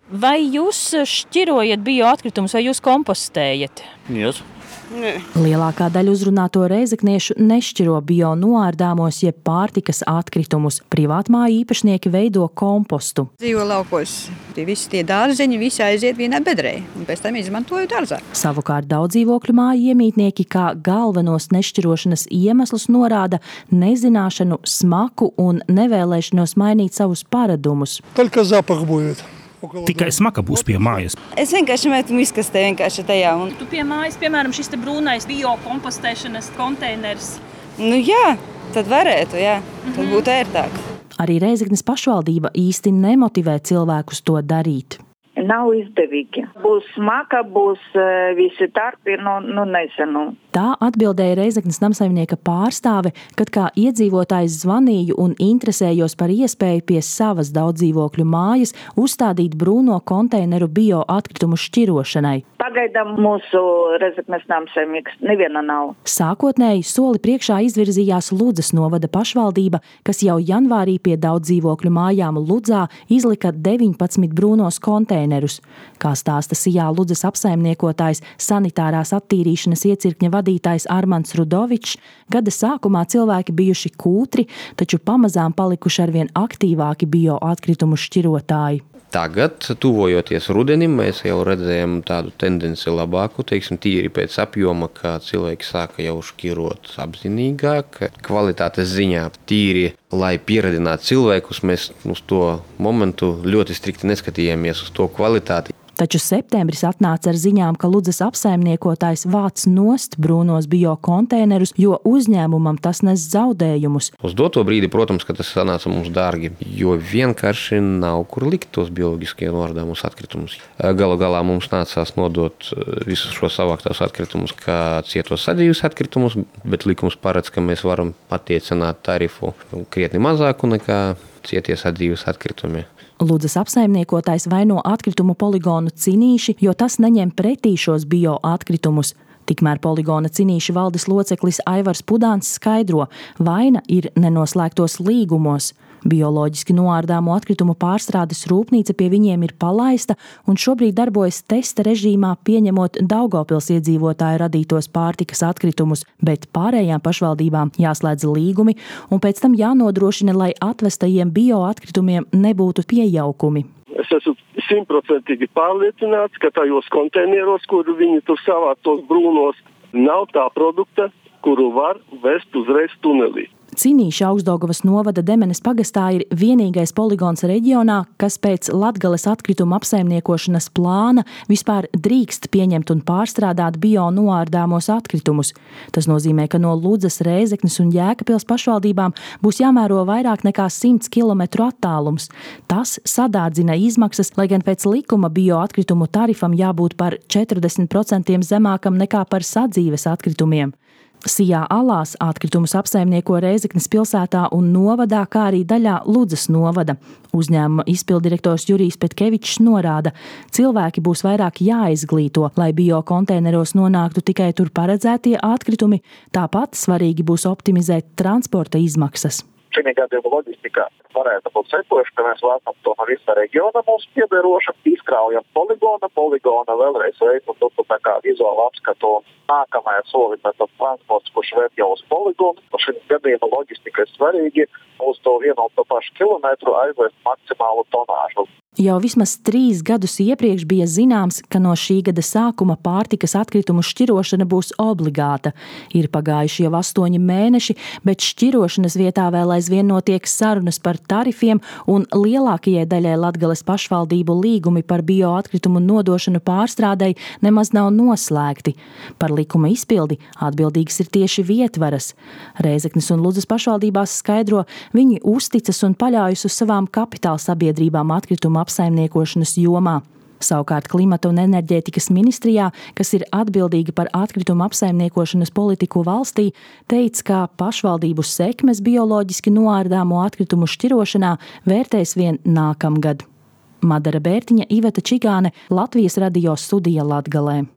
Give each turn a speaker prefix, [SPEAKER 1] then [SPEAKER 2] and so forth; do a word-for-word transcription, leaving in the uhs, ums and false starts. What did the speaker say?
[SPEAKER 1] Vai jūs šķirojat bioatkritumus vai jūs kompostējat?
[SPEAKER 2] Yes.
[SPEAKER 3] Lielākā daļa uzrunāto reizekniešu nešķiro bio noārdāmos jeb pārtikas atkritumus. Privātmāju īpašnieki veido kompostu.
[SPEAKER 4] Dzīvo laukos, tie visi tie dārzeņi, visi aiziet vienā bedrē, un pēc tam izmantoju dārzā.
[SPEAKER 3] Savukārt daudz dzīvokļu māju iemītnieki kā galvenos nešķirošanas iemeslus norāda nezināšanu, smaku un nevēlēšanos mainīt savus paradumus.
[SPEAKER 5] Только запах будет.
[SPEAKER 6] Tikai smaka būs pie mājas.
[SPEAKER 4] Es vienkārši metu miskastē vienkārši tajā. Un...
[SPEAKER 1] Tu pie mājas, piemēram, šis te brūnais biokompostēšanas konteiners.
[SPEAKER 4] Nu jā, tad varētu, jā. Tad būtu ērtāk.
[SPEAKER 3] Arī Reizeknes pašvaldība īsti nemotivē cilvēkus to darīt.
[SPEAKER 7] Nav izdevīgi. Būs smaka, būs visi tarpi, nu, nu nezinu.
[SPEAKER 3] Tā atbildēja Reizeknes namsaimnieka pārstāve, kad kā iedzīvotājs zvanīju un interesējos par iespēju pie savas daudzdzīvokļu mājas uzstādīt brūno konteineru bioatkritumu šķirošanai.
[SPEAKER 7] Pagaidām mūsu Reizeknes namsaimnieks neviena nav.
[SPEAKER 3] Sākotnēji soli priekšā izvirzījās Ludzas novada pašvaldība, kas jau janvārī pie daudzdzīvokļu mājām Ludzā izlika deviņpadsmit brūnos konteinerus. Kā stāsta Sijā Ludzas apsaimniekotājs sanitārās attīrīšanas iecirkņa vadītājs Armands Rudovičs, gada sākumā cilvēki bijuši kūtri, taču pamazām palikuši arvien aktīvāki bioatkritumu šķirotāji.
[SPEAKER 2] Tagad, tuvojoties rudenim, mēs jau redzējām tādu tendenci labāku, teiksim, tīri pēc apjoma, ka cilvēki sāka jau šķirot apzinīgāk. Kvalitātes ziņā tīri, lai pieradinātu cilvēkus, mēs uz to momentu ļoti strikti neskatījāmies uz to kvalitāti.
[SPEAKER 3] Taču septembris atnāca ar ziņām, ka Ludzas apsaimniekotājs vāc nost brūnos biokonteinerus, jo uzņēmumam tas nes zaudējumus.
[SPEAKER 2] Uz doto brīdi, protams, ka tas sanāca mums dārgi, jo vienkārši nav kur likt tos bioloģiskie noārdāmos atkritumus. Galu galā mums nācās nodot visus šos savāktos atkritumus kā cietos sadzīves atkritumus, bet likums paredz, ka mēs varam attiecināt tarifu krietni mazāku nekā cietie sadzīves atkritumi.
[SPEAKER 3] Ludzas apsaimniekotājs vaino atkritumu poligonu Cinīši, jo tas neņem pretī šos bioatkritumus. Tikmēr poligona Cinīši valdes loceklis Aivars Pudāns skaidro, vaina ir nenoslēgtos līgumos. Bioloģiski noārdāmo atkritumu pārstrādes rūpnīca pie viņiem ir palaista un šobrīd darbojas testa režīmā, pieņemot Daugavpils iedzīvotāju radītos pārtikas atkritumus, bet pārējām pašvaldībām jāslēdz līgumi un pēc tam jānodrošina, lai atvestajiem bioatkritumiem nebūtu piejaukumi.
[SPEAKER 5] Es esmu simtprocentīgi pārliecināts, ka tajos konteineros, kur viņi tur savāc tos brūnos, nav tā produkta, kuru var vest uzreiz tunelī.
[SPEAKER 3] Cinīša Augstdaugavas novada Demenes pagastā ir vienīgais poligons reģionā, kas pēc Latgales atkrituma apsaimniekošanas plāna vispār drīkst pieņemt un pārstrādāt bio noārdāmos atkritumus. Tas nozīmē, ka no Ludzas, Reizeknes un Jēkabpils pašvaldībām būs jāmēro vairāk nekā simts kilometru attālums. Tas sadārdzina izmaksas, lai gan pēc likuma bioatkritumu tarifam jābūt par četrdesmit procentiem zemākam nekā par sadzīves atkritumiem. Sijā Alās atkritumus apsaimnieko Reizeknes pilsētā un novadā, kā arī daļā Ludzas novada. Uzņēmuma izpildirektors Jurijs Petkevičs norāda, cilvēki būs vairāk jāizglīto, lai biokonteineros nonāktu tikai tur paredzētie atkritumi, tāpat svarīgi būs optimizēt transporta izmaksas.
[SPEAKER 8] Šī gadījuma loģistika varētu būt sekojuša, ka mēs vēlam to no visa reģiona mums piederoša, izkraujam poligona, poligona vēlreiz veidu un tu tā kā vizuālu apskatu un nākamajā soli, bet transports, kurš vērt jau uz poligonu, šī gadījuma loģistika ir svarīgi uz to vienu un to pašu kilometru aizvest maksimālu tonāžu.
[SPEAKER 3] Jau vismaz trīs gadus iepriekš bija zināms, ka no šī gada sākuma pārtikas atkritumu šķirošana būs obligāta. Ir pagājuši jau astoņi mēneši, bet šķirošanas vietā vēl aizvien notiek sarunas par tarifiem un lielākajai daļai Latgales pašvaldību līgumi par bioatkritumu nodošanu pārstrādei nemaz nav noslēgti. Par likuma izpildi atbildīgas ir tieši vietvaras. Reizeknes un Ludzas pašvaldībās skaidro, viņi uzticas un paļaujas uz savām kapitāla sabiedrībām atkritumu apsaimniekošanas jomā. Savukārt Klimata un enerģētikas ministrijā, kas ir atbildīga par atkritumu apsaimniekošanas politiku valstī, teica, ka pašvaldību sekmes bioloģiski noārdāmo atkritumu šķirošanā vērtēs vien nākamgad. Madara Bērtiņa, Iveta Čigāne, Latvijas radio studija Latgalē.